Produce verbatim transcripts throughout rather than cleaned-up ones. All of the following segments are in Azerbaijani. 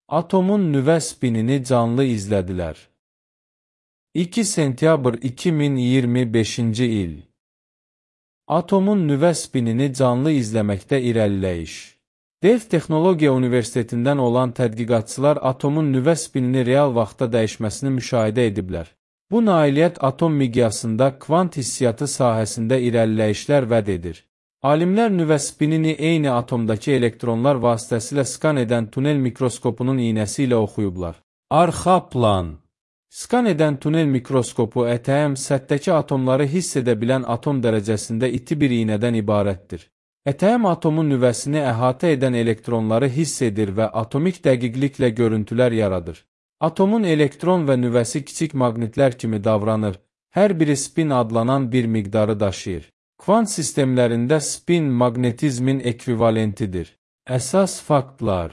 Atomun nüvə spinini canlı izlədilər. iki sentyabr iki min iyirmi beşinci il. Atomun nüvə spinini canlı izləməkdə irəliləyiş. Delft Texnologiya Universitetindən olan tədqiqatçılar atomun nüvə spinini real vaxtda dəyişməsini müşahidə ediblər. Bu nailiyyət atom miqyasında kvant hissiyatı sahəsində irəliləyişlər vəd edir. Alimlər nüvə spinini eyni atomdakı elektronlar vasitəsilə skan edən tunel mikroskopunun iynəsi ilə oxuyublar. Arxa plan. Skan edən tunel mikroskopu E T M səthdəki atomları hiss edə bilən atom dərəcəsində iti bir iynədən ibarətdir. E T M atomun nüvəsini əhatə edən elektronları hiss edir və atomik dəqiqliklə görüntülər yaradır. Atomun elektron və nüvəsi kiçik maqnitlər kimi davranır, hər biri spin adlanan bir miqdarı daşıyır. Kvant sistemlərində spin maqnetizmin ekvivalentidir. Əsas faktlar.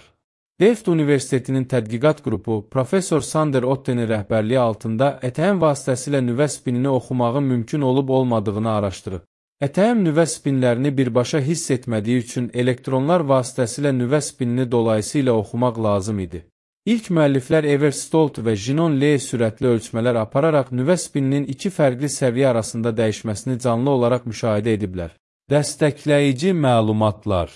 Delft Universitetinin tədqiqat qrupu, Professor Sander Ottenin rəhbərliyi altında E T M vasitəsilə nüvə spinini oxumağın mümkün olub-olmadığını araşdırıb. E T M nüvə spinlərini birbaşa hiss etmədiyi üçün elektronlar vasitəsilə nüvə spinini dolayısıyla oxumaq lazım idi. İlk müəlliflər Evert Stolt və Jinon Lee sürətli ölçmələr apararaq nüvə spininin iki fərqli səviyyə arasında dəyişməsini canlı olaraq müşahidə ediblər. Dəstəkləyici məlumatlar.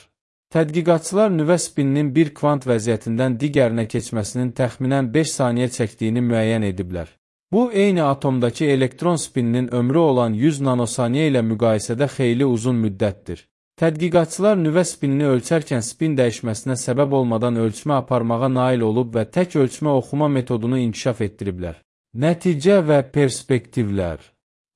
Tədqiqatçılar nüvə spininin bir kvant vəziyyətindən digərinə keçməsinin təxminən beş saniyə çəkdiyini müəyyən ediblər. Bu, eyni atomdakı elektron spininin ömrü olan yüz nanosaniyə ilə müqayisədə xeyli uzun müddətdir. Tədqiqatçılar nüvə spinini ölçərkən spin dəyişməsinə səbəb olmadan ölçmə aparmağa nail olub və tək ölçmə oxuma metodunu inkişaf etdiriblər. Nəticə və perspektivlər.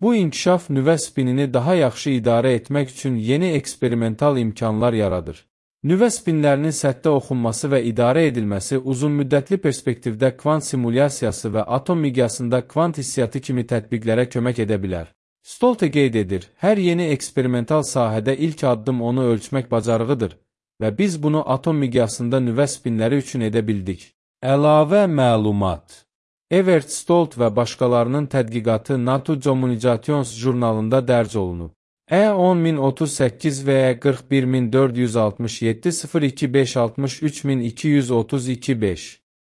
Bu inkişaf nüvə spinini daha yaxşı idarə etmək üçün yeni eksperimental imkanlar yaradır. Nüvə spinlərinin səthdə oxunması və idarə edilməsi uzunmüddətli perspektivdə kvant simulyasiyası və atom miqyasında kvant hissiyatı kimi tətbiqlərə kömək edə bilər. Stolte qeyd edir, hər yeni eksperimental sahədə ilk addım onu ölçmək bacarığıdır və biz bunu atom miqyasında nüvə spinləri üçün edə bildik. Əlavə məlumat. Evert Stolt və başqalarının tədqiqatı Nature Communications jurnalında dərc olunub. E on min otuz səkkiz və qırx bir min dörd yüz altmış yeddi sıfır iki beş altmış üç min iki yüz otuz iki beş